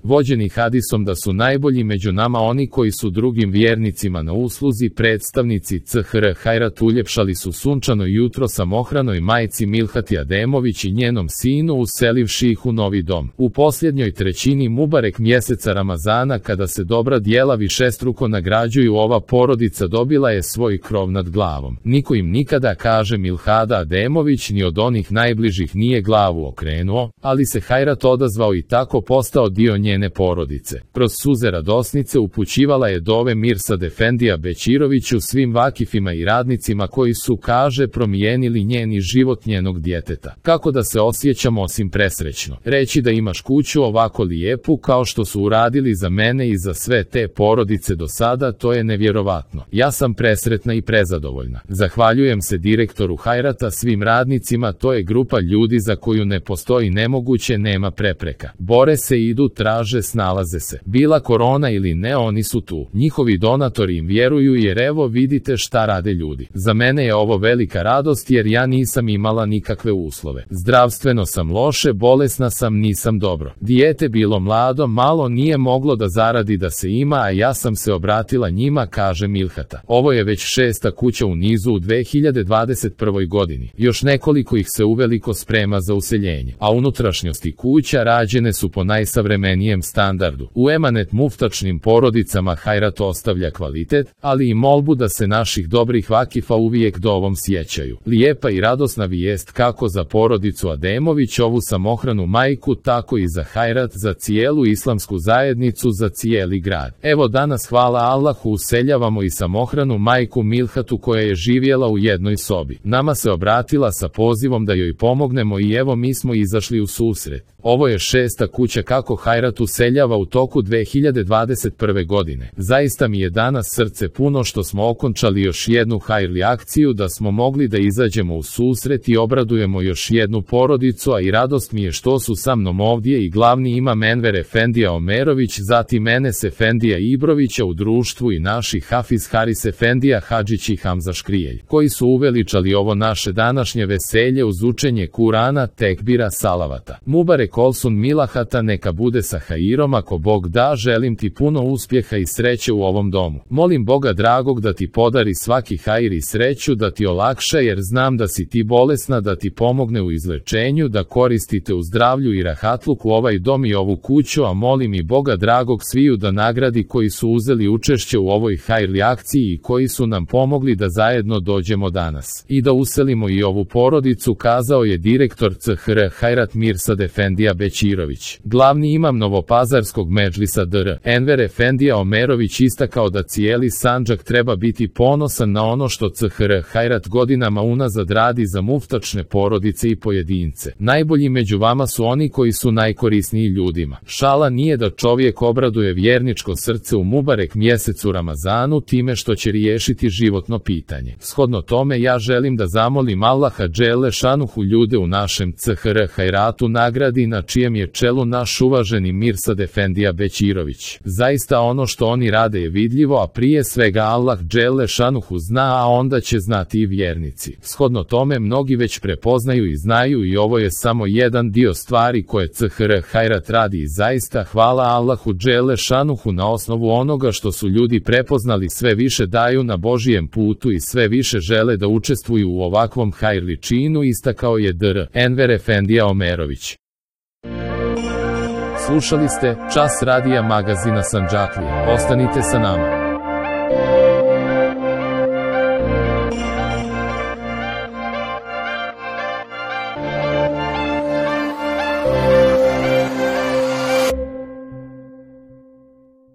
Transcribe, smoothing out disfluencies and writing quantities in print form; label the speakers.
Speaker 1: vođeni hadisom da su najbolji među nama oni koji su drugim vjernicima na usluzi, predstavnici CHR Hajrat uljepšali su sunčano jutro samohranoj majci Milhati Ademović i njenom sinu uselivši ih u novi dom. U posljednjoj trećini Mubarek mjeseca Ramazana, kada se dobra djela višestruko nagrađuju, ova porodica dobila je svoj krov nad glavom. Niko im nikada, kaže Milhada Ademović, ni od onih najbližih nije glavu okrenuo, ali se Hajrat odazvao i tako postao dio njene porodice. Kroz suze radosnice upućivala je dove Mirsad Efendija Bećiroviću, svim vakifima i radnicima koji su, kaže, promijenili njeni život, njenog djeteta. Kako da se osjećam osim presrećno? Reći da imaš kuću ovako lijepu kao što su uradili za mene i za sve te porodice do sada, to je nevjerovatno. Ja sam presretna i prezadovoljna. Zahvaljujem se direktoru Hajrata, svim radnicima, to je grupa ljudi za koju ne postoji nemoguće, nema prepreka. Bore se, idu, traže, snalaze se. Bila korona ili ne, oni su tu. Njihovi donatori im vjeruju jer evo vidite šta rade ljudi. Za mene je ovo velika radost jer ja nisam imala nikakve uslove. Zdravstveno sam loše, bolesna sam, nisam dobro. Dijete bilo mlado, malo, nije moglo da zaradi da se ima, a ja sam se obratila njima, kaže Milhata. Ovo je već 6. kuća u nizu u 2021. godini. Još nekoliko ih se uveliko sprema za useljenje, a unutrašnjosti kuća rađene su po najsavremenijem standardu. U emanet muftačnim porodicama Hajrat ostavlja kvalitet, ali i molbu da se naših dobrih vakifa uvijek dovom sjećaju. Lijepa i radosna vijest kako za porodicu Ademović, ovu samohranu majku, tako i za Hajrat, za cijelu islamsku zajednicu, za cijeli grad. Evo danas, hvala Allahu, useljavamo i samohranu majku Milhatu koja je živjela u jednoj sobi. Nama se obratila sa pozivom da joj pomognemo i evo mi smo izašli u susret. Ovo je 6. kuća kako Hajrat useljava u toku 2021. godine. Zaista mi je danas srce puno što smo okončali još jednu hajrli akciju, da smo mogli da izađemo u susret i obradujemo još jednu porodicu, a i radost mi je što su sa mnom ovdje i glavni imam Enver Efendija Omerović, zatim Enes Efendija Ibrovića u društvu i naši Hafiz Haris Efendija Hadžić i Hamza Škrijelj, koji su uveličali ovo naše današnje veselje uz učenje Kurana, tekbira, salavata. Mubarek olsun Milahata, neka bude sa hairom, ako Bog da, želim ti puno uspjeha i sreće u ovom domu. Molim Boga dragog da ti podari svaki hair i sreću, da ti olakša jer znam da si ti bolesna, da ti pomogne u izlečenju, da koristite u zdravlju i rahatluku ovaj dom i ovu kuću, a molim i Boga dragog sviju da nagradi koji su uzeli učešće u ovoj hajrli akciji i koji su nam pomogli da zajedno dođemo danas i da uselimo i ovu porodicu, kazao je direktor CHR Hajrat Mirsad Efendija Bećirović. Glavni imam Novopazarskog medžlisa Dr. Enver Efendija Omerović istakao da cijeli Sandžak treba biti ponosan na ono što CHR Hajrat godinama unazad radi za muftačne porodice i pojedince. Najbolji među vama su oni koji su najkorisniji ljudima. Šala nije da čovjek obraduje vjerničko srce u Mubarek mjesecu Ramazanu time što će riješiti životno pitanje. Shodno tome ja želim da zamolim Allaha dželle šanuhu ljude u našem CHR Hajratu nagradi, na čijem je čelu naš uvaženi Mirsad Efendija Bećirović. Zaista ono što oni rade je vidljivo, a prije svega Allah dželle šanuhu zna, a onda će znati i vjernici. Shodno tome mnogi već prepoznaju i znaju i ovo je samo jedan dio stvari koje CHR Hajrat radi i zaista hvala Allahu dželle šanuhu na osnovu onoga što su ljudi prepoznali sve više daju na Božijem putu i sve više žele da učestvuju u ovakvom hajrli činu, istakao je Dr. Enver Efendija Omerović. Slušali ste Čas radija magazina Sandžaklije. Ostanite sa nama.